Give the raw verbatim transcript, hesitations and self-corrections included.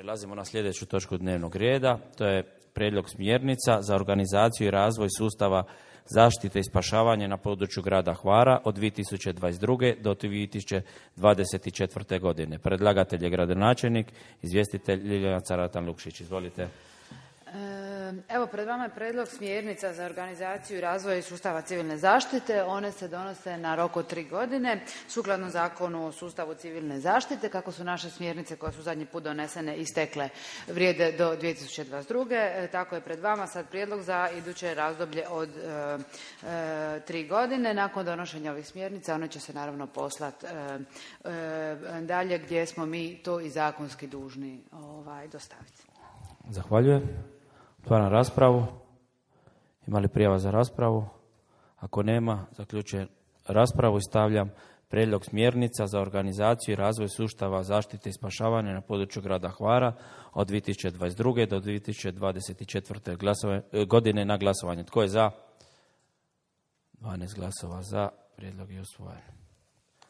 Prelazimo na sljedeću točku dnevnog reda. To je prijedlog smjernica za organizaciju i razvoj sustava zaštite i spašavanja na području grada Hvara od dvije tisuće dvadeset druge do dvije tisuće dvadeset četvrte. godine. Predlagatelj je gradonačelnik, izvjestitelj Ljiljana Caratan-Lukšić. Izvolite. Evo, pred vama je predlog smjernica za organizaciju i razvoj sustava civilne zaštite. One se donose na rok od tri godine, sukladno zakonu o sustavu civilne zaštite. Kako su naše smjernice koje su zadnji put donesene istekle, vrijede do dvije tisuće dvadeset druge. Tako je pred vama sad prijedlog za iduće razdoblje od e, e, tri godine. Nakon donošenja ovih smjernica one će se naravno poslati e, e, dalje gdje smo mi to i zakonski dužni ovaj, dostaviti. Zahvaljujem. Otvaram raspravu. Ima li prijava za raspravu? Ako nema, zaključujem raspravu i stavljam prijedlog smjernica za organizaciju i razvoj sustava zaštite i spašavanja na području grada Hvara od dvije tisuće dvadeset druge do dvije tisuće dvadeset četvrte. godine na glasovanje. Tko je za? dvanaest glasova za. Prijedlog je usvojen.